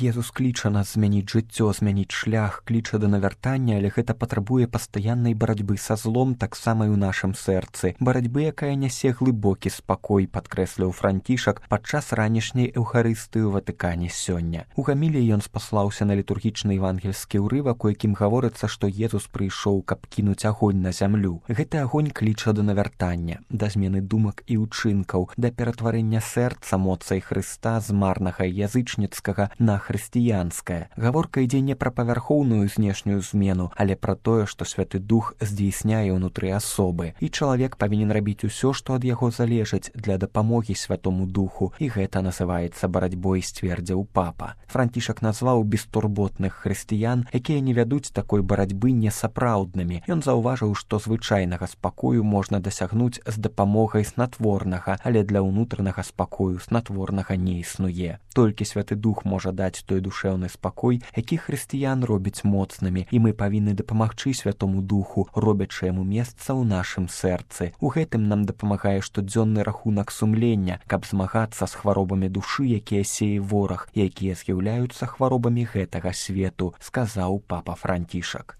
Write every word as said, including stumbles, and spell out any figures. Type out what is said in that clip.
Езус кліча нас змяніць жыццё, змяніць шлях, кліча да навяртання, але гэта патрабуе пастаяннай барацьбы са злом таксама і ў нашым сэрцы. Барацьбы, якая нясе глыбокі спакой, падкрэсліў Францішак падчас ранішняй эўхарыстыі ў Ватыкане сёння. У гаміліі ён спаслаўся на літургічны евангельскі ўрывак, у якім гаворыцца, што Езус прыйшоў, каб кінуць агонь на зямлю. Гэты агонь кліча да навяртання, да змены думак і ўчынкаў, да ператварэння сэрца моцай Хрыста з марнага язычніцкага на хрысціянскае. Гаворка ідзе не пра павярхоўную знешнюю змену, але пра тое, што Святы Дух здзейсняе ўнутры асобы. І чалавек павінен рабіць усё, што ад яго залежыць для дапамогі Святому Духу, і гэта называецца барацьбой, сцвердзіў папа. Францішак назваў бестурботных хрысціян, якія не вядуць такой барацьбы, несапраўднымі. Ён заўважыў, што звычайнага спакою можна дасягнуць з дапамогай снатворнага, але для ўнутранага спакою снатворнага не існуе. Толькі Святы Дух можа даць той душэўны спакой, які хрысціян робіць моцнымі, і мы павінны дапамагчы Святому Духу, робячы яму месца ў нашым сэрцы. У гэтым нам дапамагае штодзённы рахунак сумлення, каб змагацца з хваробамі душы, якія сее вораг, якія з'яўляюцца хваробамі гэтага свету, сказаў папа Францішак.